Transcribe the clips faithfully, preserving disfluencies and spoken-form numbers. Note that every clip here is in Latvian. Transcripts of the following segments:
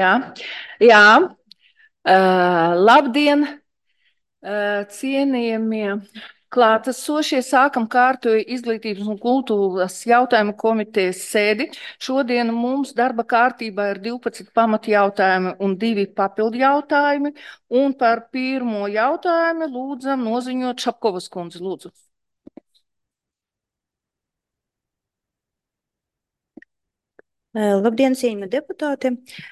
Jā, jā. Uh, labdien, uh, cienījamie klātesošie! Sākam kārtu izglītības un kultūras jautājumu komitejas sēdi. Šodien mums darba kārtībā ir divpadsmit pamatjautājumi un divi papildu jautājumi. Un par pirmo jautājumu lūdzam noziņot Šapkovas kundzi. Lūdzu. Labdien, cienījamie deputāti!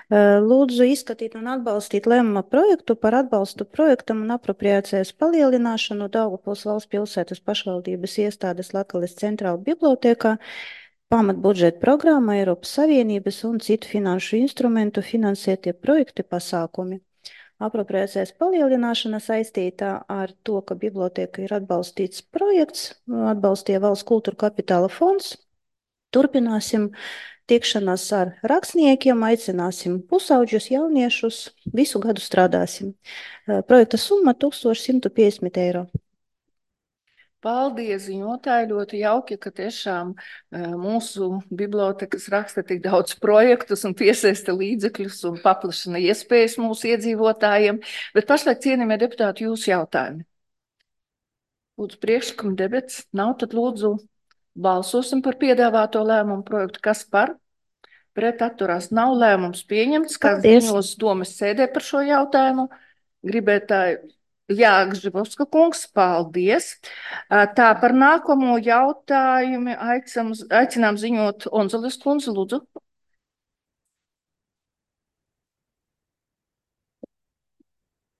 Lūdzu izskatīt un atbalstīt lēmuma projektu par atbalstu projektam un apropriācijas palielināšanu Daugavpils valsts pilsētas pašvaldības iestādes Latgales centrāla bibliotēkā, pamatbudžeta programma Eiropas Savienības un citu finanšu instrumentu finansētie projekti pasākumi. Apropriācijas palielināšana saistītā ar to, ka bibliotēka ir atbalstīts projekts, atbalstīja Valsts kultūra kapitāla fonds. Turpināsim tikšanās ar rakstniekiem, aicināsim pusauģus, jauniešus, visu gadu strādāsim. Projekta summa tūkstoš simt piecdesmit eiro. Paldies, ziņotāji, ļoti jauki, ka tiešām mūsu bibliotekas raksta tik daudz projektus un piesaista līdzekļus un paplašina iespējas mūsu iedzīvotājiem. Bet pašlaik, cienījamie deputāti, jūsu jautājumi. Lūdzu, priekšlikumi debats nav, tad lūdzu balsosim par piedāvāto lēmumu projektu. Kas par? Pret atturās nav, lēmums pieņemts. Kas ziņos domas sēdē par šo jautājumu? Gribētāji. Jā, Gžibovska kungs, paldies. Tā, par nākamo jautājumu aicinām, aicinām ziņot Onzulis kundzi, lūdzu.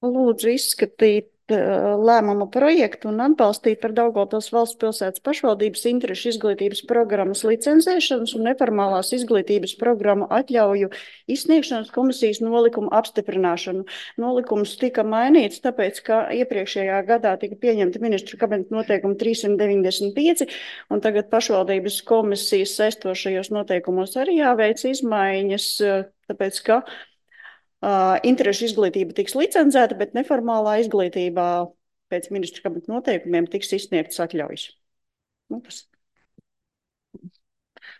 Lūdzu izskatīt lēmuma projektu un atbalstīt par Daugavpils valsts pilsētas pašvaldības interešu izglītības programmas licencēšanas un neformālās izglītības programmu atļauju izsniegšanas komisijas nolikumu apstiprināšanu. Nolikums tika mainīts, tāpēc, ka iepriekšējā gadā tika pieņemta ministru kabineta noteikuma trīssimt deviņdesmit pieci, un tagad pašvaldības komisijas saistošajos noteikumos arī jāveic izmaiņas, tāpēc, ka Uh, interešu izglītība tiks licencēta, bet neformālā izglītībā pēc ministru kabineta noteikumiem tiks izsniegtas atļaujas. Nu, tas.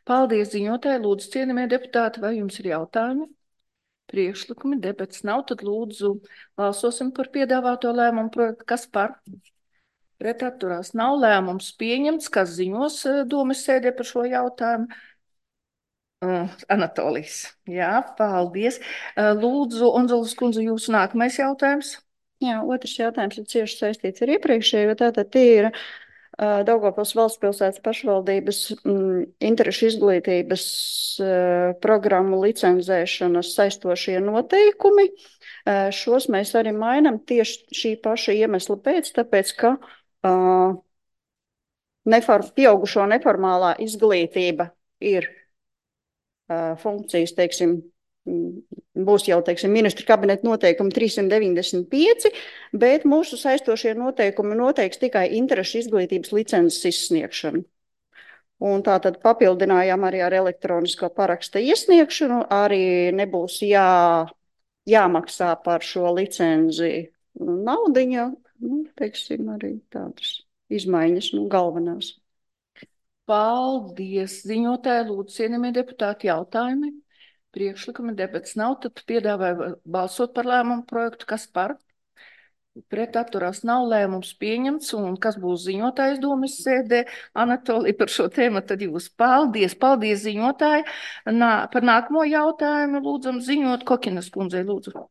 Paldies, ziņotāji. Lūdzu, cienījamie deputāti, vai jums ir jautājumi? Priekšlikumi, debats nav, tad lūdzu balsosim par piedāvāto lēmumu projektu. Kas par? Pret atturās nav, lēmums pieņemts. Kas ziņos domas sēdē par šo jautājumu? Uh, Anatolijas. Jā, paldies. Uh, lūdzu, Onzulis kundze, jūsu nākamais jautājums. Jā, otrs jautājums ir cieši saistīts ar iepriekšējo. Tātad tie ir uh, Daugavpils valsts pilsētas pašvaldības mm, interešu izglītības uh, programmu licencēšanas saistošie noteikumi. Uh, šos mēs arī mainam tieši šī paša iemesla pēc, tāpēc, ka uh, nefor, pieaugušo neformālā izglītība ir funkcijas, teiksim, būs jau, teiksim, ministru kabineta noteikumi trīssimt deviņdesmit pieci, bet mūsu saistošie noteikumi noteiks tikai interešu izglītības licences izsniegšanu. Un tā tad papildinājām arī ar elektronisko paraksta iesniegšanu, arī nebūs jā, jāmaksā par šo licenzi naudiņa, nu, teiksim, arī tādas izmaiņas, nu, galvenās. Paldies, ziņotāji, lūdzu, cienījamie deputāti, jautājumi. Priekšlikumi, debats nav, tad piedāvāju balsot par lēmumu projektu. Kas par? Pret atturās nav, lēmums pieņemts, un kas būs ziņotājs domas sēdē? Anatolija, par šo tēmu tad jūs paldies. Paldies, ziņotāji. Nā, par nākamo jautājumu lūdzam ziņot Kokinas kundzei, lūdzu.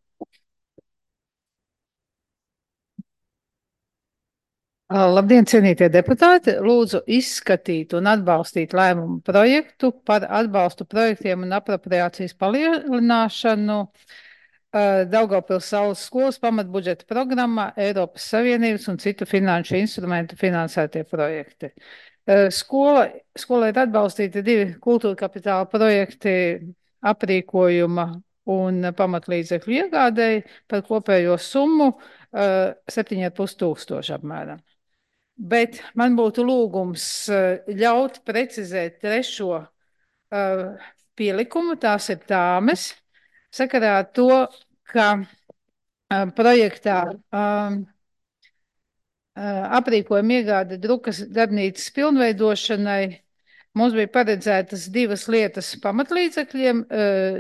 Labdien, cienītie deputāti! Lūdzu izskatīt un atbalstīt lēmumu projektu par atbalstu projektiem un apropriācijas palielināšanu Daugavpils Saules skolas pamatbudžeta programmā Eiropas Savienības un citu finanšu instrumentu finansētie projekti. Skola, skola ir atbalstīti divi kultūra kapitāla projekti aprīkojuma un pamatlīdzekļu iegādēji par kopējo summu septiņi ar pus tūkstoši apmēram. Bet man būtu lūgums ļaut precizēt trešo uh, pielikumu, tās ir tāmes, sakarā ar to, ka uh, projektā um, uh, aprīkojuma iegāde drukas darbnīcas pilnveidošanai mums bija paredzētas divas lietas pamatlīdzekļiem, uh,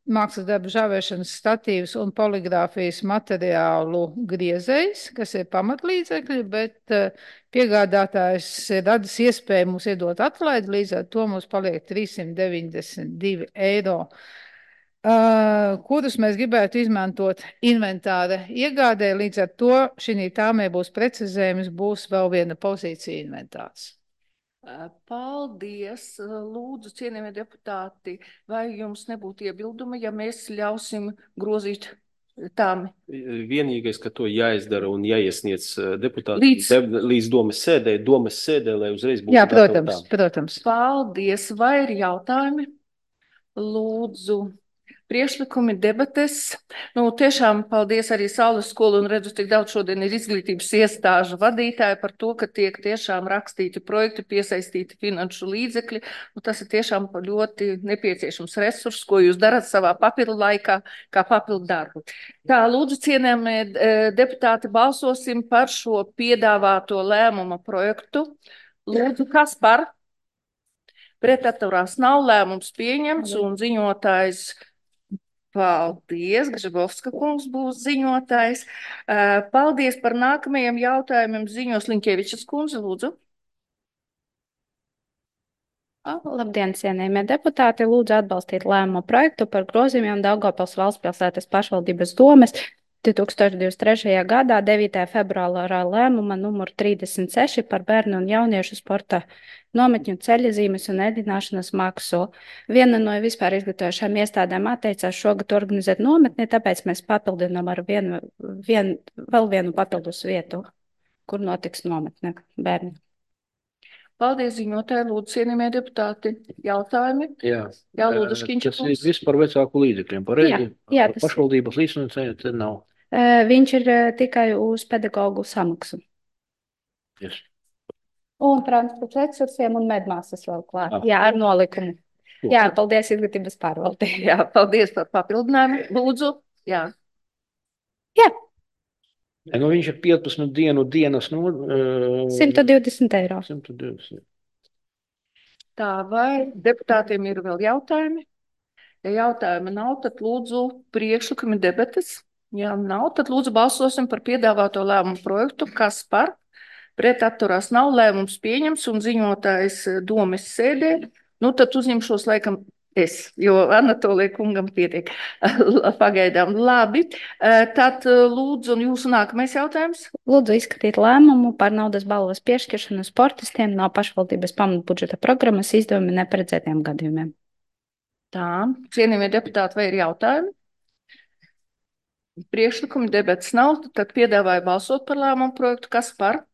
mākslas darbu žāvēšanas statīvs un poligrāfijas materiālu griezējs, kas ir pamatlīdzekļi, bet piegādātājs ir radis iespēju mums iedot atlaidi, līdz ar to mums paliek trīssimt deviņdesmit divi eiro, uh, kurus mēs gribētu izmantot inventāra iegādē, līdz ar to šī tāmē būs precizējums, būs vēl viena pozīcija inventārs. Paldies, lūdzu, cienījamie deputāti, vai jums nebūtu iebildumi, ja mēs ļausim grozīt tāmi? Vienīgais, ka to jāizdara un jāiesniedz deputāti Līdz, de, līdz domes sēdē, domes sēdē, lai uzreiz būtu. Jā, protams, protams. Paldies, vai ir jautājumi? Lūdzu. Priekšlikumi, debates. Nu, tiešām paldies arī Saules skolu un redzu, tik daudz šodien ir izglītības iestāžu vadītāji par to, ka tiek tiešām rakstīti projekti, piesaistīti finanšu līdzekļi. Nu, tas ir tiešām ļoti nepieciešams resurs, ko jūs darat savā papildu laikā, kā papildu darbu. Tā, lūdzu, cienējamie deputāti, balsosim par šo piedāvāto lēmuma projektu. Lūdzu, kas par? Pretatturās nav, lēmums pieņemts un ziņotājs. Paldies, Gržabovska kungs būs ziņotājs. Paldies par nākamajiem jautājumiem. Ziņos Liņķevičas kundze, lūdzu. Labdien, cienījamie deputāti. Lūdzu atbalstīt lēmumu projektu par grozījumiem Daugavpils valstspilsētas pašvaldības domes divi tūkstoši divdesmit trešajā gadā devītajā februārā lēmuma numur trīsdesmit seši par bērnu un jauniešu sporta nometņu ceļazīmes un ēdināšanas maksu. Viena no vispār izglītojošām iestādēm atteicās šogad organizēt nometni, tāpēc mēs papildinām ar vienu, vien, vēl vienu papildus vietu, kur notiks nometne bērni. Paldies, ziņotāji, lūdzu, cienījamie deputāti. Jautājumi? Jā, Jā, lūdzu, Škiņš. Tas ir viss par vecāku līdzekļiem, pareizi? Jā, jā, tas... Pašvaldības līdzfinansējums te nav. Uh, viņš ir uh, tikai uz pedagogu samaksu. Yes. Un transporta resursiem un medmāsas vēl klāt. Ah. Jā, ar nolikumu. Jā, paldies izglītības pārvaldē. Jā, paldies par papildinājumu. Lūdzu. Jā. Jā. Nu, viņš ir piecpadsmit dienu dienas. Nu, uh, simt divdesmit eiro. simt divdesmit. Tā, vai deputātiem ir vēl jautājumi? Ja jautājumi nav, tad lūdzu priekšlikumi debates. Ja nav, tad lūdzu balsosim par piedāvāto lēmumu projektu. Kas par? Pret atturās nav, lēmums pieņems un ziņotājs domes sēdē. Nu, tad uzņemšos laikam es, jo Anatolija kungam pietiek pagaidām. Labi, tad lūdzu, un jūsu nākamais jautājums? Lūdzu izskatīt lēmumu par naudas balvas piešķiršanu sportistiem no pašvaldības pamatbudžeta programmas izdevumi neparedzētiem gadījumiem. Tā, cienījamie deputāti, vai ir jautājumi? Priekšlikumi debates nav, tad piedāvāju balsot par lēmumu projektu. Kas par?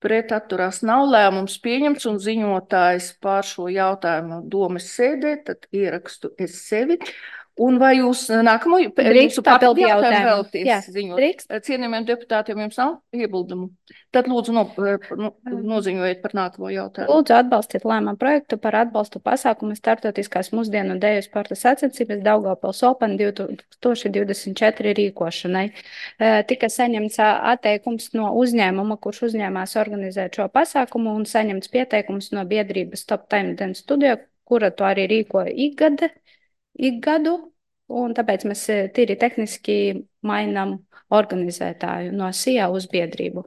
Pret atturās nav, lēmums pieņemts un ziņotājs pār šo jautājumu domes sēdē, tad ierakstu es sevi. Un vai jūs nākamo jūsu papildu jautājumu vēlaties ziņot? Cienījamiem deputātiem jums nav iebildumu? Tad lūdzu no, no, noziņojiet par nākamo jautājumu. Lūdzu atbalstīt lēmumu projektu par atbalstu pasākumu starptautiskās mūsdienu deju sporta sacensības Daugavpils Open divi tūkstoši divdesmit četri rīkošanai. Tika saņemts atteikums no uzņēmuma, kurš uzņēmās organizēt šo pasākumu, un saņemts pieteikums no biedrības Top Time Dance Studio, kura to arī rīkoja ikgada. Ik gadu, un tāpēc mēs tīri tehniski mainām organizētāju no S I A uz biedrību.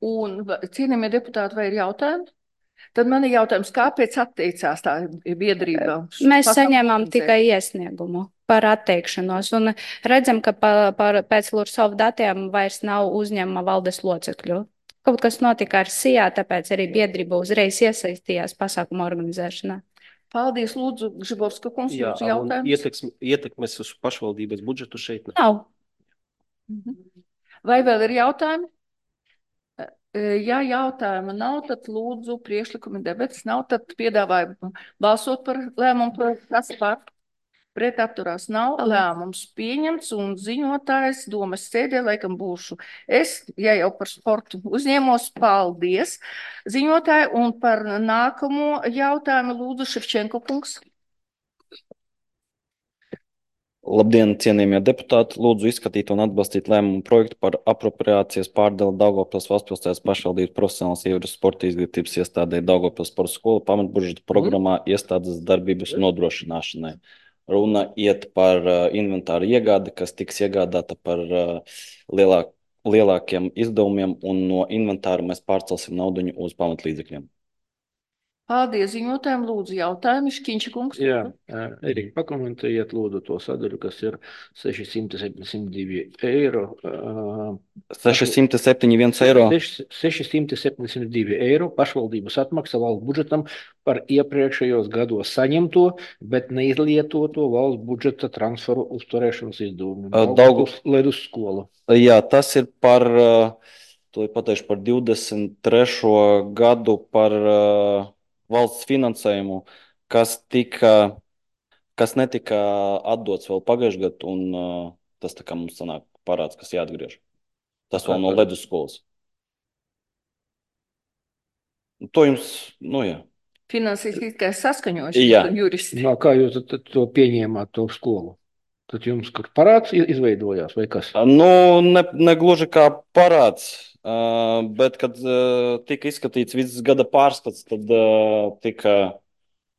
Un, cienījamie deputāti, vai ir jautājumi? Tad man ir jautājums, kāpēc atteicās tā biedrība? Mēs saņēmām tikai iesniegumu par atteikšanos, un redzam, ka pa, par, pēc Lursova datiem vairs nav uzņēmuma valdes locekļu. Kaut kas notika ar S I A, tāpēc arī biedrība uzreiz iesaistījās pasākuma organizēšanā. Paldies, lūdzu, Gržabovska kungs, Jā, lūdzu jautājums. Ietekmes, ietekmes uz pašvaldības budžetu šeit nav. Vai vēl ir jautājumi? Ja jautājuma nav, tad lūdzu priekšlikumi debates nav, tad piedāvāju balsot par lēmumu projektu. Kas par? Pret atturās nav, lēmums pieņemts un ziņotājs domes sēdē, laikam būšu es, ja jau par sportu uzņēmos, paldies. Ziņotāji un par nākamo jautājumu lūdzu Ševčenko kungs. Labdien, cienījamie deputāti! Lūdzu izskatīt un atbalstīt lēmumu projektu par apropriācijas pārdali Daugavpils Valstspilsētas pašvaldības profesionālas ievaras sporta izglītības iestādē Daugavpils sporta skola pamatbudžeta programmā iestādes darbības nodrošināšanai. Runa iet par uh, inventāru iegādi, kas tiks iegādāta par uh, lielāk, lielākiem izdevumiem, un no inventāra mēs pārcelsim nauduņu uz pamatlīdzekļiem. Paldies ziņotājiem, lūdzu jautājumu. Škiņša kungs. Jā, Erika, pakomentējiet lūdzu to sadaļu, kas ir sešsimt septiņdesmit divi eiro. sešsimt septiņdesmit viens eiro. sešsimt septiņdesmit divi eiro pašvaldības atmaksa valsts budžetam par iepriekšējos gados saņemto, bet neizlietoto valsts budžeta transferu uzturēšanas izdevumu. Daugavs ledus skola. Jā, tas ir par, to ir pateikšu par divdesmit trešo gadu par uh, valsts finansējumu, kas tika, kas netika atdots vēl pagājušajā gadā, un uh, tas tā kā mums sanāk parāds, kas jāatgriež. Tas vēl no ledus skolas. To jums, nu jā. Finansiskais saskaņošanas Jā. un juristi. No, kā jūs to, to pieņēmāt, to skolu? Tad jums kur parāds izveidojās vai kas? Nu, ne, ne gluži kā parāds, uh, bet kad uh, tika izskatīts viss gada pārskats, tad uh, tika,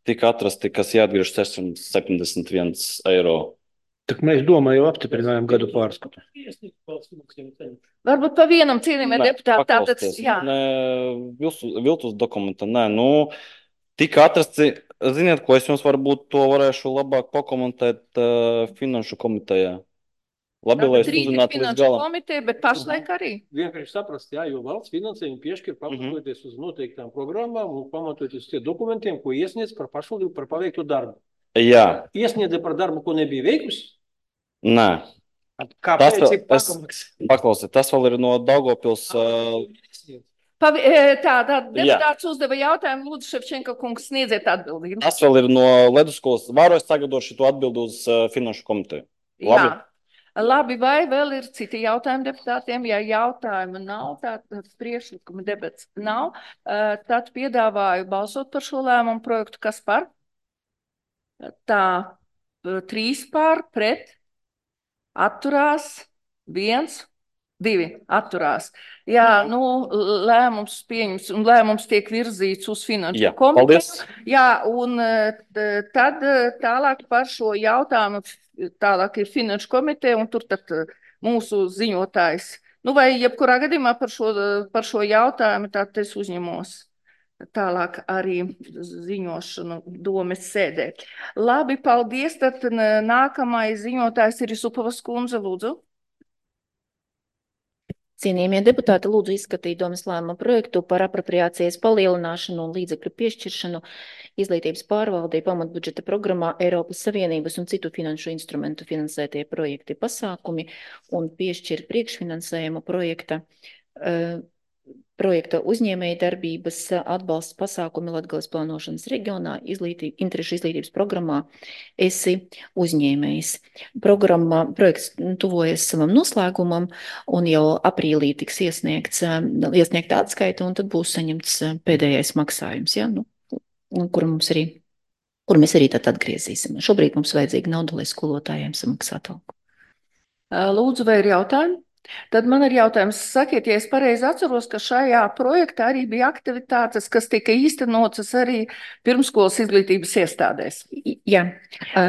tika atrasti, kas jāatgriež sešsimt septiņdesmit viens eiro. Tak mēs domāju, apstiprinājām gadu pārskatu. Varbūt pa vienam cienījumiem deputāti. Tātad, jā. Nē, viltus, viltus dokumenta, nē, nu, tika atrasti. Ziniet, ko es jums varbūt to varēšu labāk pakomentēt uh, finanšu komitejā. Labi, lai es uzzinātu līdz galam. Komiteja, bet pašlaik arī. Vienkārši saprast, jā, jo valsts finansējumu piešķir pamatoties uz noteiktām programmām un pamatoties uz tie dokumentiem, ko iesniedz par pašvaldību par paveikto darbu. Jā. Iesniedza par darbu, ko nebija veikusi? Nē. Kāpēc tas, ir pakamaks? Paklausiet, tas vēl ir no Daugavpils. Uh, Pavi, tā, tā deputāts uzdeva jautājumu, lūdzu, Ševčenko kungs, sniedziet atbildību. Tas vēl ir no ledusskolas. Varu es sagatavošu šo atbildi uz uh, finanšu komiteju. Labi? Jā. Labi, vai vēl ir citi jautājumi deputātiem? Ja jautājumu nav, tad priekšlikuma debats nav, uh, tad piedāvāju balsot par šo lēmumu projektu. Kas par? Tā, trīs par, pret, atturās, viens. Divi atturās. Jā, nu, lēmums pieņems un lēmums tiek virzīts uz finanšu komiteju. Jā, un tad tālāk par šo jautājumu, tālāk ir finanšu komiteja un tur tad mūsu ziņotājs. Nu, vai jebkurā gadījumā par šo, par šo jautājumu tad es uzņemos tālāk arī ziņošanu domes sēdē. Labi, paldies. Tad nākamais ziņotājs ir Isupavas kundze, lūdzu. Cienījamie deputāti, lūdzu izskatīt domes lēmuma projektu par apropriācijas palielināšanu un līdzekļu piešķiršanu izglītības pārvaldei pamatbudžeta programmā Eiropas Savienības un citu finanšu instrumentu finansētie projekti pasākumi un piešķir priekšfinansējumu projekta, uh, projekta uzņēmēja darbības atbalsts pasākumi Latgales plānošanas reģionā izglītī, interešu izglītības programmā esi uzņēmējs. Programma, projekts tuvojas savam noslēgumam un jau aprīlī tiks iesniegts, iesniegta atskaita un tad būs saņemts pēdējais maksājums, ja? Nu, kur, mums arī, kur mēs arī tad atgriezīsim. Šobrīd mums vajadzīga nauda, lai skolotājiem samaksātu algu. Lūdzu, vai ir jautājumi? Tad man ir jautājums, sakiet, ja es pareizi atceros, ka šajā projektā arī bija aktivitātes, kas tika īstenotas arī pirmskolas izglītības iestādēs. Jā.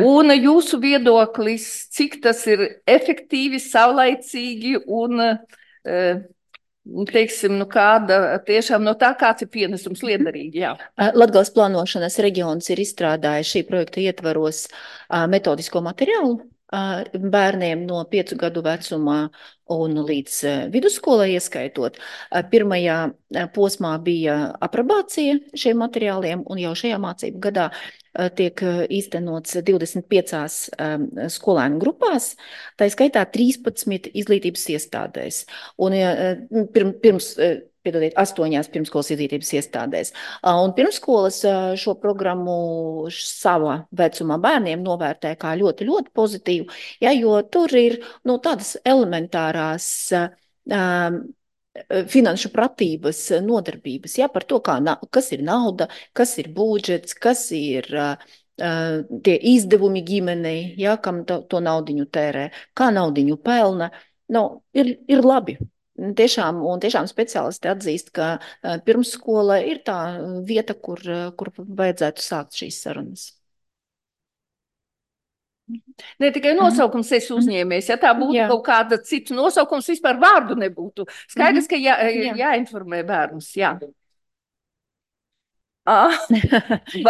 Un jūsu viedoklis, cik tas ir efektīvi, saulaicīgi un, teiksim, nu kāda tiešām no tā, kāds ir pienesums liederīgi, jā. Latgales plānošanas reģions ir izstrādājis šī projekta ietvaros metodisko materiālu bērniem no piecu gadu vecumā un līdz vidusskolai ieskaitot. Pirmajā posmā bija aprobācija šiem materiāliem, un jau šajā mācību gadā tiek īstenots divdesmit piecās skolēnu grupās, tā skaitā trīspadsmit izglītības iestādēs. Un pirms, piedodiet, astoņās pirmskolas izglītības iestādēs. Un pirmskolas šo programmu savā vecumā bērniem novērtē kā ļoti, ļoti pozitīvu, ja, jo tur ir nu, tādas elementārās um, finanšu pratības nodarbības, ja, par to, kā, kas ir nauda, kas ir budžets, kas ir uh, tie izdevumi ģimenei, ja, kam to, to naudiņu tērē, kā naudiņu pelna, nu, ir, ir labi. Tiešām, un tiešām speciālisti atzīst, ka pirmsskola ir tā vieta, kur, kur vajadzētu sākt šīs sarunas. Ne tikai nosaukums esi uzņēmējs, ja tā būtu jā. Kaut kāda cita nosaukums, vispār vārdu nebūtu. Skaidrs, ka jā, jā. jāinformē bērnus, jā. Ah,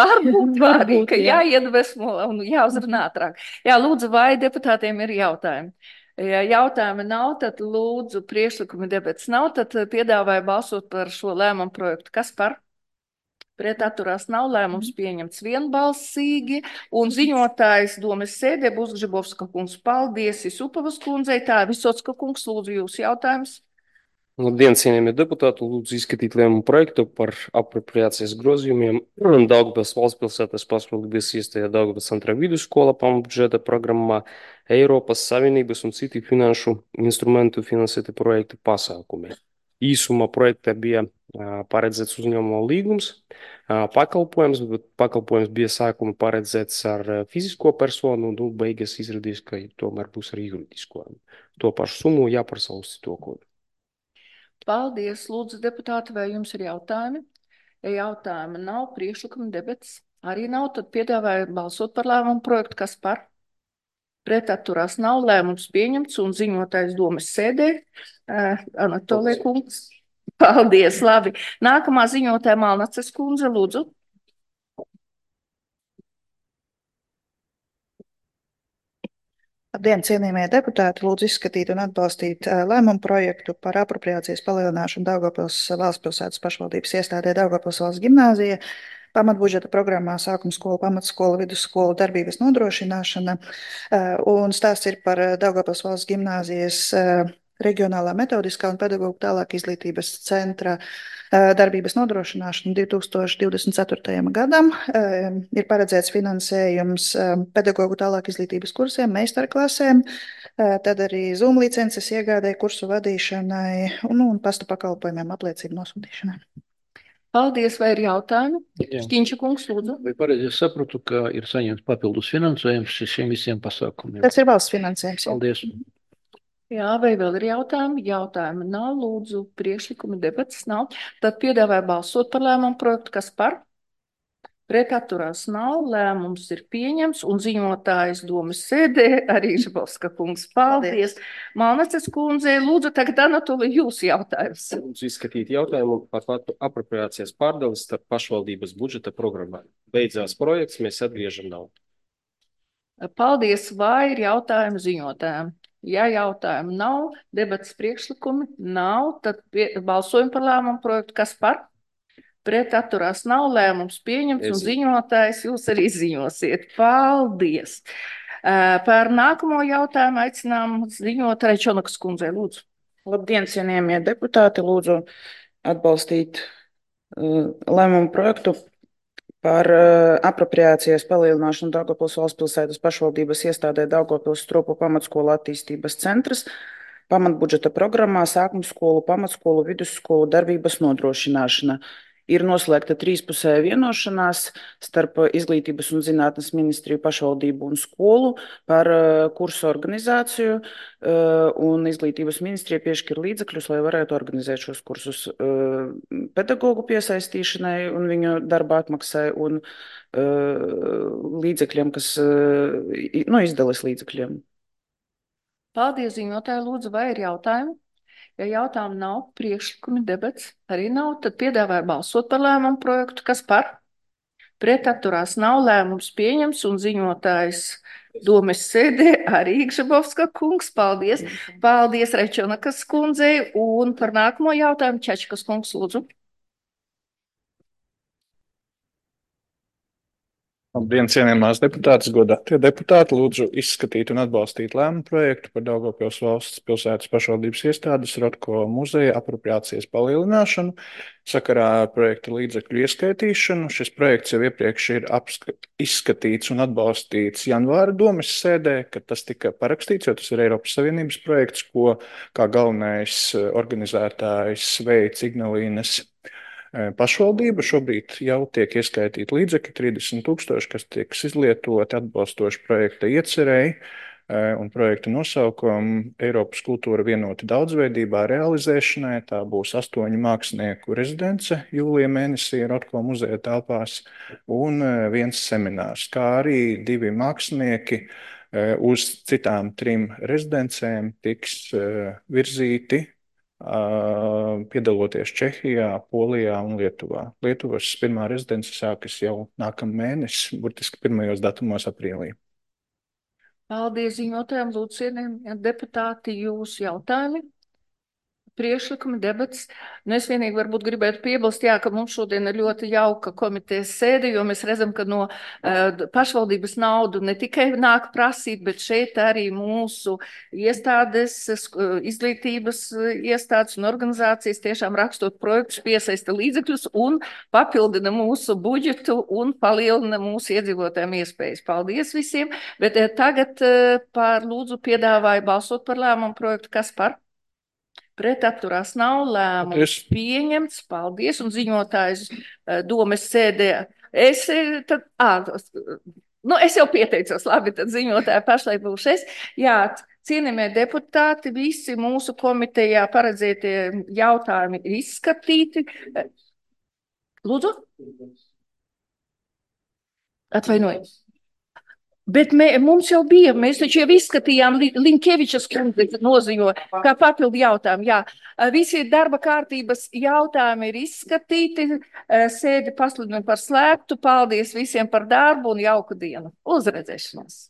varbūt arī, ka jā. jāiedvesmo un jāuzrunā ātrāk. Jā, lūdzu, vai deputātiem ir jautājumi? Ja jautājumi nav, tad lūdzu, priekšlikumi debats nav, tad piedāvāju balsot par šo lēmumu projektu. Kas par? Pret atturās nav, lēmums pieņemts vienbalsīgi, un ziņotājs domes sēdē būs Gžibovska kungs. Paldies Isupavas kundzei, tā Visocka kungs, lūdzu jūs jautājums. Labdien, cienījamie deputāti, lūdzu izskatīt lēmumu projektu par apropriācijas grozījumiem Daugavpils valstspilsētas pašvaldības iestājā Daugavpils centrā vidusskola pamatbudžeta programmā Eiropas Savienības un citi finanšu instrumentu finansēti projekti pasākumi. Īsumā projektā bija paredzēts uzņēmuma līgums, pakalpojums, bet pakalpojums bija sākuma paredzēts ar fizisko personu, un beigas izrādījās, ka tomēr būs ar juridisko. To pašu summu jāprasa uz to kodu. Paldies, lūdzu, deputāti, vai jums ir jautājumi? Ja jautājumi nav, priekšlikumi debats arī nav, tad piedāvāju balsot par lēmumu projektu, kas par? Pret atturās nav, lēmums pieņemts un ziņotājs domes sēdē. Uh, Anatolija kungs. Paldies, labi. Nākamā ziņotāja Malnaces kundze, lūdzu. Labdien, cienījamie deputāti, lūdzu izskatīt un atbalstīt lēmumu projektu par apropriācijas palielināšanu Daugavpils valstspilsētas pašvaldības iestādē Daugavpils valsts gimnāzija, pamatbudžeta programmā sākuma skola, pamatskola, vidusskola darbības nodrošināšana, un stāsts ir par Daugavpils valsts gimnāzijas reģionālā metodiskā un pedagoģu tālāk izglītības centra darbības nodrošināšanu divi tūkstoši divdesmit ceturtajam gadam. Ir paredzēts finansējums pedagoģu tālāk izglītības kursiem, meistarklasēm, tad arī Zoom licences iegādē, kursu vadīšanai un, un pasta pakalpojumiem apliecību nosūtīšanai. Paldies, vai ir jautājumi? Šķiņša kungs, lūdzu. Vai pareizi sapratu, ka ir saņemts papildus finansējums šiem visiem pasākumiem? Tas ir valsts finansējums. Jā. Paldies. Jā, vai vēl ir jautājumi? Jautājumi nav, lūdzu, priekšlikumi debats nav. Tad piedāvāju balsot par lēmumu projektu, kas par? Pret atturās nav, lēmums ir pieņems un ziņotājs domes sēdē arī Žabovska kungs. Paldies. Paldies. Malnaces kundzei, lūdzu, tagad Anatolija jūs jautājums. Lūdzu izskatīt jautājumu par apropriācijas pārdalis starp pašvaldības budžeta programmā. Beidzās projekts, mēs atgriežam naudu. Paldies, vai ir jautājumi ziņotājiem? Ja jautājumu nav, debatas priekšlikumi nav, tad pie, balsojam par lēmumu projektu, kas par? Pret atturās nav, lēmums pieņemts un ziņotājs jūs arī ziņosiet. Paldies! Par nākamo jautājumu aicinām ziņotāju Čonakas kundzei, lūdzu. Labdien, cienījamie deputāti, lūdzu atbalstīt uh, lēmumu projektu par uh, apropriācijas palielināšanu Daugavpils valstspilsētas pašvaldības iestādē Daugavpils Stropu pamatskola attīstības centrs, pamatbudžeta programmā sākuma skolu, pamatskolu, vidusskolu darbības nodrošināšana. Ir noslēgta trīspusēja vienošanās starp Izglītības un zinātnes ministriju, pašvaldību un skolu par uh, kursu organizāciju, uh, un Izglītības ministrija piešķir līdzekļus, lai varētu organizēt šos kursus uh, pedagogu piesaistīšanai un viņu darba atmaksai un uh, līdzekļiem, kas, uh, no izdeles līdzekļiem. Paldies, ziņotāji, lūdzu, vai ir jautājumi? Ja jautājumu nav, priekšlikumi debats arī nav, tad piedāvāju balsot par lēmumu projektu, kas par? Pret atturās nav, lēmums pieņems un ziņotājs domes sēdē arī Gžabovska kungs. Paldies. Paldies Rečonakas kundzei un par nākamo jautājumu Čečkas kungs, lūdzu. Labdien, cienījamās deputātes, godātie deputāti, lūdzu izskatīt un atbalstīt lēmumu projektu par Daugavpils valsts pilsētas pašvaldības iestādes Rotko muzeja apropriācijas palielināšanu sakarā ar projekta līdzekļu ieskaitīšanu. Šis projekts jau iepriekš ir izskatīts un atbalstīts janvāra domes sēdē, kad tas tika parakstīts, jo tas ir Eiropas Savienības projekts, ko kā galvenais organizētājs veids Ignalīnas pašvaldība. Šobrīd jau tiek ieskaitīti līdzekļi trīsdesmit tūkstoši, kas tiek izlietoti atbalstoši projekta iecerēji un projekta nosaukumu Eiropas kultūra vienota daudzveidībā realizēšanai. Tā būs astoņu mākslinieku rezidence jūlija mēnesī Rotko muzeja telpās un viens seminārs, kā arī divi mākslinieki uz citām trim rezidencēm tiks virzīti, piedaloties Čehijā, Polijā un Lietuvā. Lietuvas pirmā rezidence sākas jau nākamā mēnesis, burtiski pirmajos datumos aprīlī. Paldies ziņotājiem, lūdzu, cienījamie deputāti, jūsu jautājumi, priekšlikumi, debats. Nu, es vienīgi varbūt gribētu piebilst, jā, ka mums šodien ir ļoti jauka komitejas sēde, jo mēs redzam, ka no uh, pašvaldības naudu ne tikai nāk prasīt, bet šeit arī mūsu iestādes, izglītības iestādes un organizācijas tiešām rakstot projektus piesaista līdzekļus un papildina mūsu budžetu un palielina mūsu iedzīvotājiem iespējas. Paldies visiem, bet uh, tagad uh, par lūdzu piedāvāju balsot par lēmumu projektu. Kas par? Pret atturās nav lēmums pieņemts. Paldies. Un ziņotājs domes sēdē. Es, tad, à, nu, es jau pieteicos, labi, tad ziņotāja pašlaik būšu es. Jā, cienījamie deputāti, visi mūsu komitejā paredzētie jautājumi ir izskatīti. Lūdzu? Atvainojiet. Bet mē, mums jau bija, mēs taču jau izskatījām Linkevičas kundze noziņo kā papildu jautājumu. Jā, visi darba kārtības jautājumi ir izskatīti, sēdi pasludinu par slēgtu. Paldies visiem par darbu un jauku dienu. Uz redzēšanos!